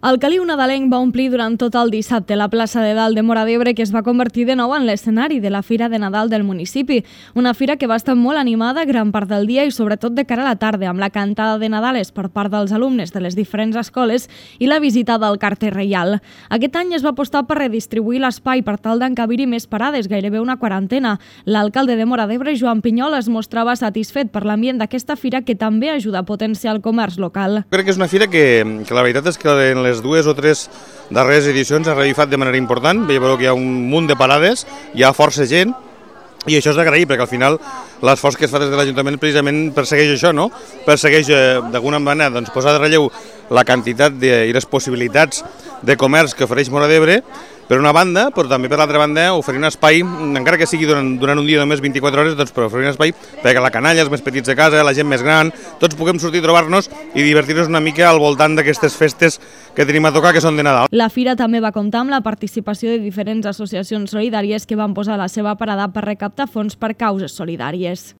El caliu nadalenc va omplir durant tot el dissabte la plaça de Dalt de Móra d'Ebre, que es va convertir de nou en l'escenari de la Fira de Nadal del municipi. Una fira que va estar molt animada gran part del dia i sobretot de cara a la tarda, amb la cantada de Nadales per part dels alumnes de les diferents escoles i la visita del carter reial. Aquest any es va apostar per redistribuir l'espai per tal d'encabir-hi més parades, gairebé una quarantena. L'alcalde de Móra d'Ebre, Joan Pinyol, es mostrava satisfet per l'ambient d'aquesta fira, que també ajuda a potenciar el comerç local. Crec que és una fira que la veritat és que en les dues o tres darreres edicions ha revifat de manera important. Veiem que hi ha un munt de parades, hi ha força gent, i això és d'agrair, perquè al final l'esforç que es fa des de l'Ajuntament precisament persegueix això, no? Persegueix d'alguna manera posar de relleu la quantitat i les possibilitats de comerç que ofereix Móra d'Ebre, per una banda, però també per l'altra banda oferir un espai, encara que sigui durant un dia només 24 hores, però oferir un espai perquè la canalla, els més petits de casa, la gent més gran, tots puguem sortir a trobar-nos i divertir-nos una mica al voltant d'aquestes festes que tenim a tocar, que són de Nadal. La fira també va comptar amb la participació de diferents associacions solidàries que van posar la seva parada per recaptar fons per causes solidàries.